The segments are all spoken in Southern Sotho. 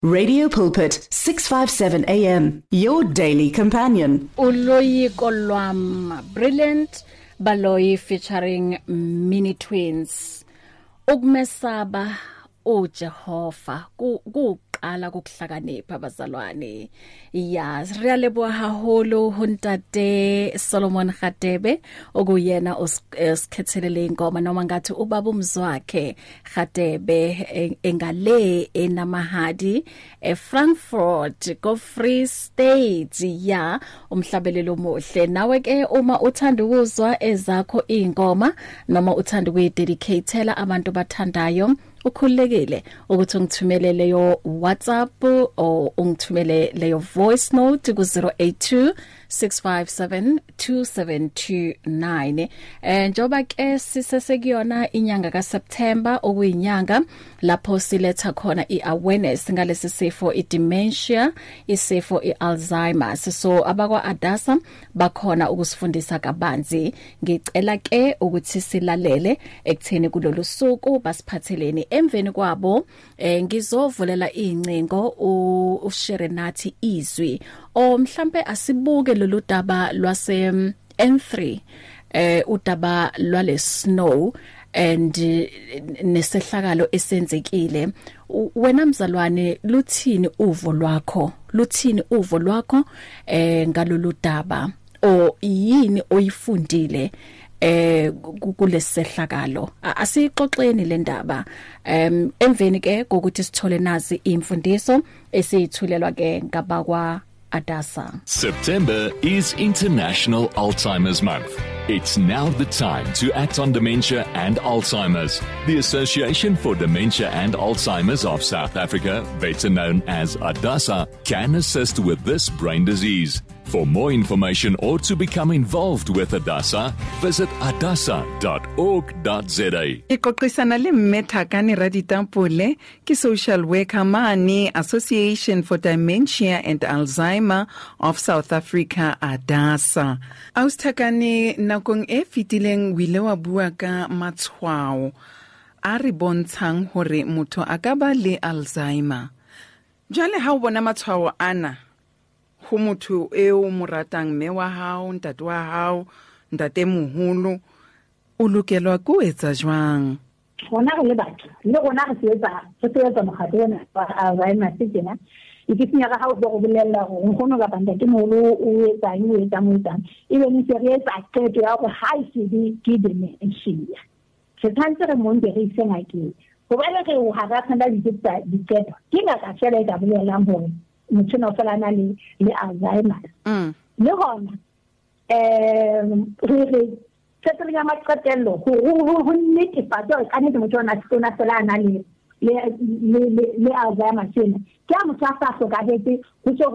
Radio Pulpit 657 AM, your daily companion. Uloyiko lwam, Brilliant Baloyi featuring Mini Twins. Ukumesaba uJehova kuqala kokuhlakanipha bazalwane. Ya, re leboha haholo ho ntate Solomon Khatebe okuyena osikhethelele ingoma, noma ngathi ubaba umzwakhe Khatebe engale enamahadi eFrankfurt go Free State. Ya, umhlabelelo omuhle. Nawe ke uma uthanda ukuzwa ezakho ingoma noma uthanda ukuyidedicatela abantu bathandayo, ukhululekile ukuthi ungithumele leyo WhatsApp or ungithumele leyo voice note ku 082 657 2729. Njoba ke sisesekuyona inyanga kaSeptember, okuyinyanga lapho siletha khona iawareness ngalesi sifo idementia, isifo iAlzheimer's. So abakwa Adasa bakhona ukusifundisa kabanzi. Ngicela ke ukuthi silalele ekutheni kulolu suku basiphatheleni. Emveni kwabo ngizovulela incingo ushare nathi izwi, o mhlambe asibuke lolu daba lwase N3, udaba lwale snow and nesehlakalo esenzekile. Wena mzalwane, luthini uvo lwakho? Luthini uvo lwakho ngalolu daba, o yini oyifundile kulesehlakalo? Asixoxeni le ndaba emveni ke kokuthi sithole nazi imfundiso esiyithulelwa ke ngabakwa Adasa. September is International Alzheimer's Month. It's now the time to act on dementia and Alzheimer's. The Association for Dementia and Alzheimer's of South Africa, better known as ADASA, can assist with this brain disease. For more information or to become involved with ADASA, visit adasa.org.za. Ikoqisana le mme Thakane Raditampole, ke social worker mane Association for Dementia and Alzheimer of South Africa, ADASA. Austhakane, nakong e fetileng o ile wa bua ka matshwao a re bontshang hore motho a ka ba le Alzheimer. Jwale ha o bona matshwao ana ho motho eo mo ratang, mme wa hao, ntate wa hao, ntate moholo, o lokelwa ke ho etsa jwang? Rona re le batho, le rona re sebetsa mokgatlo ona wa Alzheimer's tjena. E ke senya ga o go bolella gore nkgono kapa ntate moholo o etsang, o etsang, o etsang, ebe ne se re etsa qeto ya hore ha e se be ke dementia, re tshwanetse re monke re ise ngakeng, hobane re ha ra tshwanela diqeto. Ke ngaka fela e ka bolelang hore motho ona o fela a na le Alzheimer's. Le hona re qetellong ya maqetello ho netefatsa hore kannete motho ona o fela a na le Alzheimer's ena, ke ha motho a sa hlokahetse, ho se ho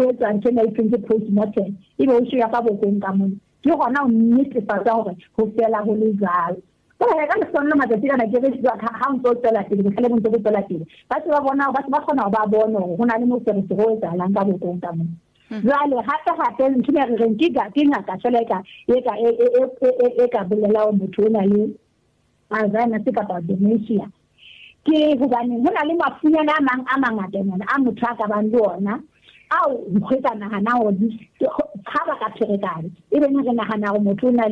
etswa ntho ena e thweng ke postmortem, ebe o ya ka bokong ka mona, ke hona ho netefatsa hore ho fela ho le jwalo. Jwale ka lehlohonolo matsatsi ana ke re ha o ntso o tswela pele, bohlale bo ntse bo tswela pele, ba se ba bona, ba se ba kgona hore ba bone hore ho na le moferefere o etsahalang ka bokong ka mona. Jwale hape hape ntho ena re reng ke ngaka fela e ka bolela hore motho o na le Alzheimer's kapa dementia, ke hobaneng ho na le mafunyana a mang a mangatanyana a motho a ka bang le ona, ao re ka nahana hore ha ba ka pherekane, ebe ne re nahana hore motho o na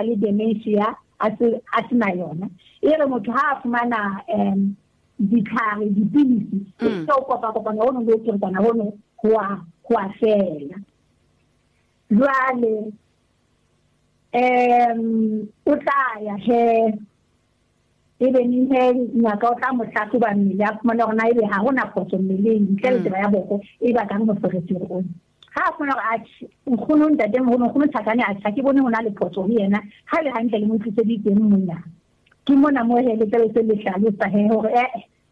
le dementia a se na yona. E re motho ha a fumana ditlhare, dipilisi, se o kopa kopana hono le ho pherekana hono ho a fela. Jwale o tla ya he, ebe neng he ngaka o tla mo hlahloba mmele, a fumane hore na ebe ha hona phoso mmeleng ntle le taba ya boko e bakang moferefere ona. Ha a fumana hore atjhe, nkgono, ntate moholo, nkgono Thakane, atjhe, ha ke bone ho na le phoso ho yena, ha le hantle le mo tliseditseng mona, ke mona mo he le tlabe se le hlalosa he hore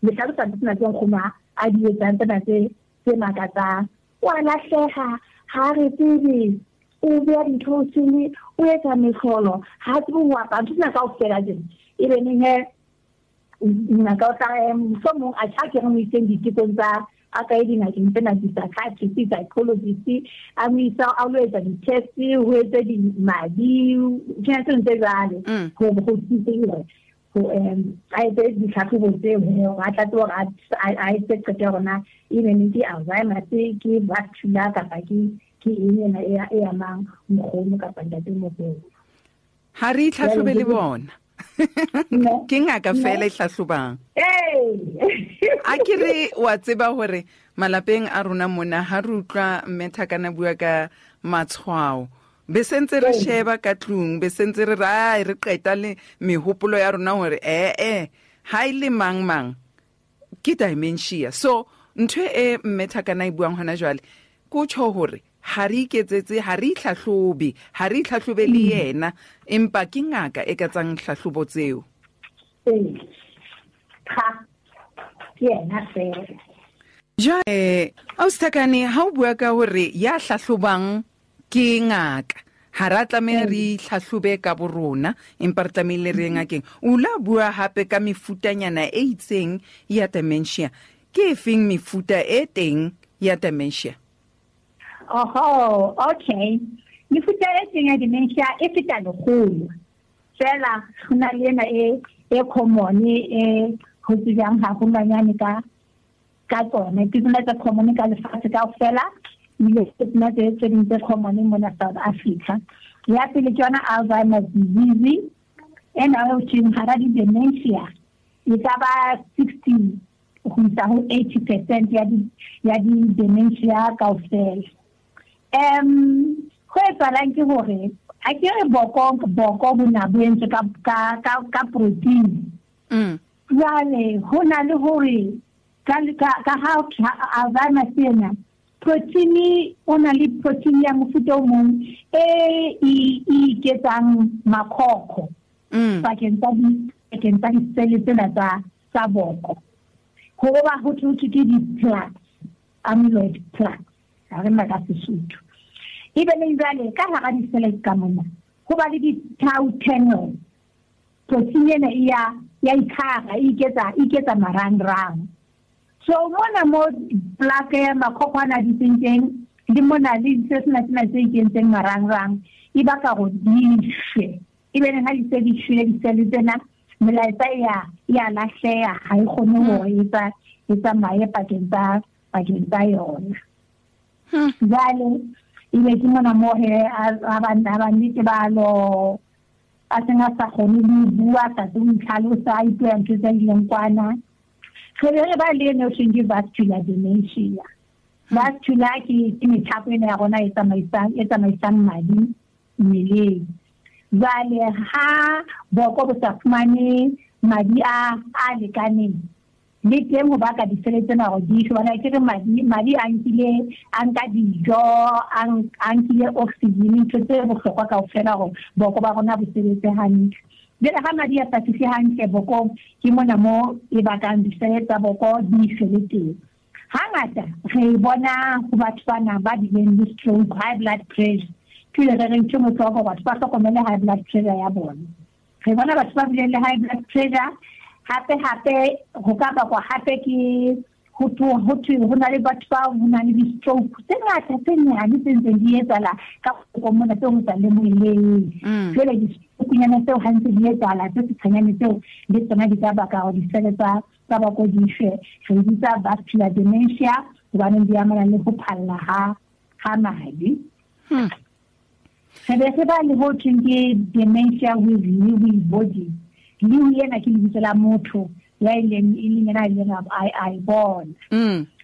le hlalosa ntho tsena tse nkgono a di etsang, tsena tse makatsang, o a lahleha, ha re tsebe, o beha dintho o sele, o etsa mehlolo, ha tsebe ho apara, ntho tsena kaofela tsena. Ebe neng he ngaka o tla mohlomong atjha ke re mo iseng ditekong tsa a ka ye dingakeng tsena, di-psychiatrist, psychologist, a mo isa a lo etsa di-test, ho etse madi, tsena tse ntse jwale, ho thuse hore A etse ditlhatlhobo tseo hore a tla tseba hore a etse qeto ya hore na ebe ne ke Alzheimer's, ke vascular, kapa ke eng ena e amang nkgono kapa ntatemoholo. Ha re itlhatlhobe le bona. Ke ngaka fela e hlahlobang. A ke re wa tseba hore malapeng a rona mona ha re utlwa mme Thakane bua ka matshwao, be sentse re sheba ka tlung, be sentse re re re qeta le mehopolo ya rona hore ha ile mang mang ke dementia. So ntho e mme Thakane e buang hona jwale ko tjho hore ha re iketsetse, ha re itlhahlobe, ha re itlhahlobe le yena, empa ke ngaka e ka tsang hlahlobo tseo. Cha, ke yena fela. Jwale Ausi Thakane, ha o bua ka hore ya hlahlobang ke ngaka, ha ra tlameha re itlhahlobe ka borona, empa re tlamehile re ye ngakeng. O la bua hape ka mefutanyana e itseng ya dementia. Ke efeng mefuta e teng ya dementia? Oho, okay. Mefuta e teng ya dementia e feta lekgolo. Fela ho na le ena e common e ho tsejang haholwanyane ka tsona. Ke tsona tse common ka lefatshe kaofela, ebile ke tsona tse ding tse common mona South Africa. Ya pele ke yona Alzheimer's disease, ena ho thweng hara di-dementia e ka ba 60 ho isa ho 80% ya di-dementia kaofela. Ho etsahalang ke hore a ke re boko bo na bo entswe ka protein. Jwale ho na le hore ka ha Alzheimer's ena protein, o na le protein ya mofuta o mong e iketsang makhokho pakeng tsa disele tsena tsa boko. Ho ba ho thwe ke di-plaques, amyloid plaques, ha re nna ka Sesotho. Ebe le jwale ka hara disele ka mona ho ba le di-tau tangles. Protein ena e ya ikhara, e iketsa marangrang. So mona mo plaque ya makhokho ana di teng teng, le mona le se sena sena se ikentseng marangrang, e baka hore di shwe. Ebe ha di se di shwele disele tsena, melaetsa ya lahleha, ha e kgone hore e tsamaye pakeng tsa yona. Jwale ebe ke mona mo he a ba nnete ba lo a seng a sa kgone le ho bua, sa tsebe ho itlhalosa, a ipuela ntho tse ileng kwana. Re be re ba le eno thweng ke vascular dementia. Vascular ke methapo ena ya rona e tsamaisang madi mmeleng. Jwale ha boko bo sa fumane madi a lekaneng, le teng ho baka disele tsena hore di shwe. Hobane ke re madi a nkile, a nka dijo, a nkile oxygen, ntho tse bohlokwa kaofela hore boko ba rona bo sebetse hantle. Jwale ha madi a sa fihle hantle bokong, ke mona mo e bakang disele tsa boko di shwe le teng. Hangata re bona ho batho bana ba bileng le stroke, high blood pressure. Ke le re ntho motloko batho ba hlokomele high blood pressure ya bona. Re bona batho ba bileng le high blood pressure, hape ho ka bakwa hape ke ho thwe ho na le batho ba ho na le di-stroke tse ngata tse nyane tse ntseng di etsahala ka boko mona tse ho sa lemoheleng. Jwale di-stroke-nyana tseo ha ntse di etsahala tse setshanyane tseo le tsona di ka baka hore disele tsa boko di shwe. Re bitsa vascular dementia hobane di amana le ho phalla ha madi. Re be re ba le ho thweng ke dementia with Lewy body. Lewy ena ke lebitso la motho ya ileng e leng yena a ileng a e bona.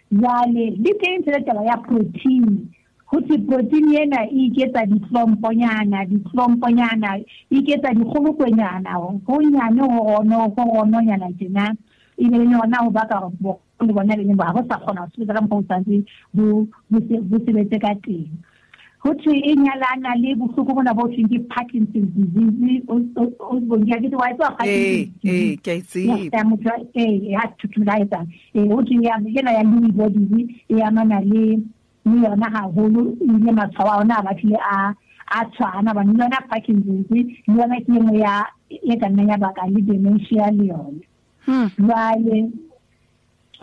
Jwale le teng tsela taba ya protein. Ho thwe protein ena e iketsa ditlomponyana, e iketsa dikgolokwenyana, ho nyane ho rononyana tjena. Ebe le yona ho baka hore boko le bona le ha bo sa kgona ho sebetsa ka mokgwa o tshwanetse bo sebetse ka teng. Ho thwe e nyalana le bohloko bona bo thweng ke Parkinson's disease. O bonke ke wa tswa Parkinson's disease. Ke a tseba. Ya motho ya thuthula etsa. Ho thwe ya yena ya Lewy body e amana le yona haholo, ile matshwao a ona a batlile a tshwana, ba le yona Parkinson's le yona ke engwe ya e ka nnang ya baka le dementia le yona. Jwale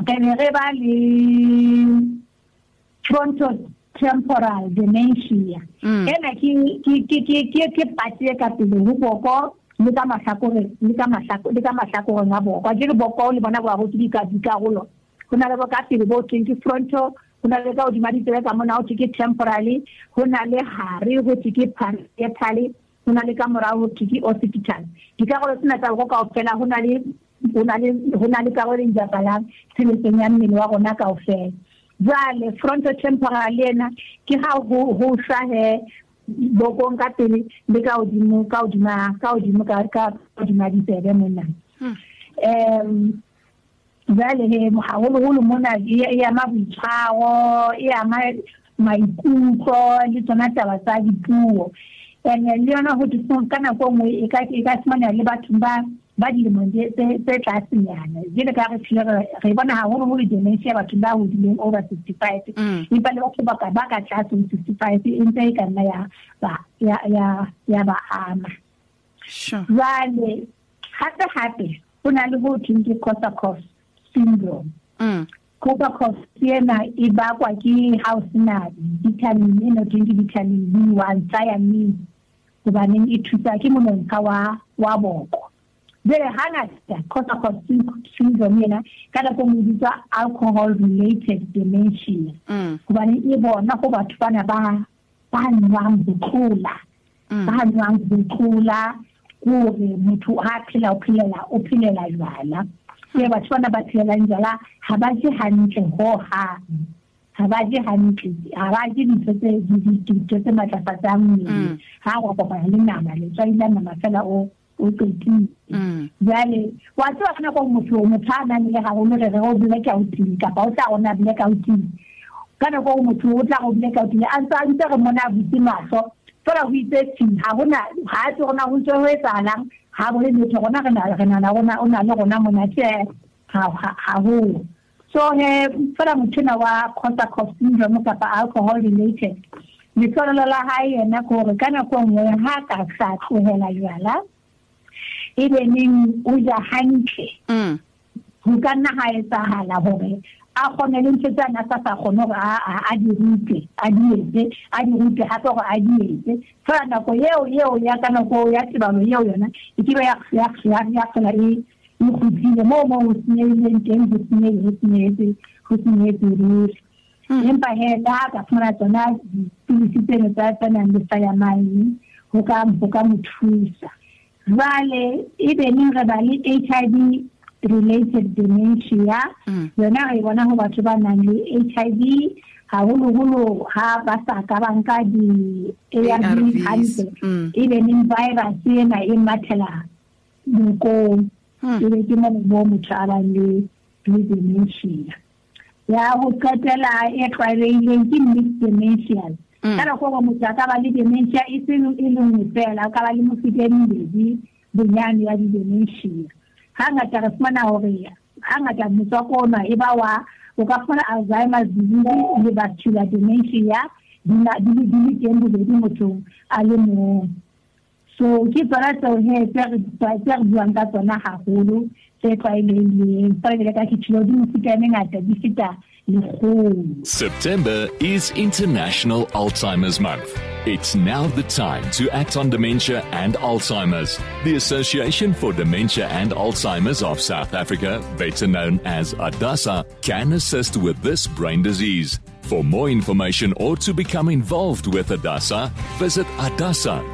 re be re ba le frontotemporal dementia. Ena ke patsi e ka pele ho boko le ka mahlakoreng le ka mahlakoreng a boko. Akere boko le bona bo arotse dikarolo. Ho na le bo ka pele bo thweng ke frontal, ho na le ka hodima ditsebe ka mona ho thwe ke temporally, ho na le hare ho thwe ke parietal, ho na le ka morao ho thwe ke occipital. Dikarolo tsena tsa boko kaofela ho na le karolo e bapalang tshebetsong ya mmele wa rona kaofela. Jwale frontotemporal ena ke ha ho hlahe bokong ka pele le ka hodimo ka hodima ditsebe mona. Jwale he haholoholo mona e ama boitshwaro, e ama maikutlo le tsona taba tsa dipuo. Ene le yona ho thwe ka nako e nngwe e ka fumaneha le bathong ba dilemong tse tlasenyana. Jwale ka re phile re bona haholoholo dementia bathong ba hodileng over 65, empa le batho ba ka tlase ho 65 e ntse e ka nna ya ba ama. Jwale hape ho na le ho thweng ke Korsakoff syndrome. Korsakoff ena e bakwa ke ha o sena vitamin ena thweng ke vitamin B1 thiamine, hobaneng e thusa ke monontsha wa boko. Jwale hangata Korsakoff syndrome ena ka nako e nngwe e bitswa alcohol related dementia, hobane e bona ho batho bana ba nwang ho tlola, hore motho ha phela o phelela jwala. Ke batho bana ba phelelang jwala ha ba je hantle hohang, ha ba je dintho tse matlafatsang mmele. Ha wa kopana le nama, letswai la nama fela o qetile. Jwale wa tseba ka nako motho a nang le haholo re re o blackout kapa o tla rona blackout. Ka nako motho o tla go blackout a ntse re mona a butse mahlo fela ho itse tsi ha hona ha tse rona ho ntse ho etsahalang, ha bole letho rona re na rona o na le rona mona tje ha ho. So he fela motho na wa Korsakoff syndrome kapa alcohol related, letlolo la hae yena ke hore ka nako nngwe ha ka sa tlohela jwala ebe neng o ja hantle, ho ka nna ha etsahala hore a kgone le ntho tse a sa kgone hore a di rute, a di etse, hape hore a di etse. Fela nako eo ya ka nako ya tebalo eo yona e ke be ya fela e kgutlile moo ho senyehileng teng, ho senyehetse ruri. Empa he le ha ka fumana tsona dipilisi tseno tsa nang le thiamine ho ka mo thusa. Jwale ebe neng re ba le HIV related dementia, yona re bona ho batho ba nang le HIV haholoholo ha ba sa ka ba nka di-ARV hantle, ebe neng virus ena e mathela bokong, ebe ke moo motho a bang le dementia. Ya ho qetela e tlwaelehileng ke mixed dementia. Ka nako e nngwe motho a ka ba le dementia e seng e le nngwe fela, o ka ba le mefuta e mebedi bonyane ya di-dementia. Hangata re fumana hore hangata motswako ona e ba wa o ka fumana Alzheimer's disease le vascular dementia di le teng bobedi mothong a le mong. So ke tsona tseo he tse re buang ka tsona haholo tse tlwaelehileng. Fela jwale ka ke tjhilo di mefuta e mengata di feta lekgolo. September is International Alzheimer's Month. It's now the time to act on dementia and Alzheimer's. The Association for Dementia and Alzheimer's of South Africa, better known as ADASA, can assist with this brain disease. For more information or to become involved with ADASA, visit adasa.org.za.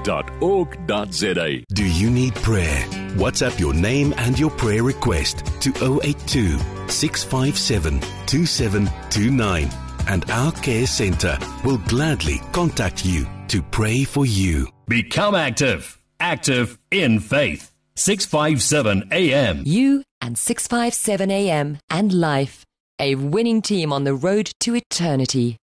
Do you need prayer? WhatsApp your name and your prayer request to 082 657 2729 and our care center will gladly contact you to pray for you. Become active. Active in faith. 657 AM. You and 657 AM and life. A winning team on the road to eternity.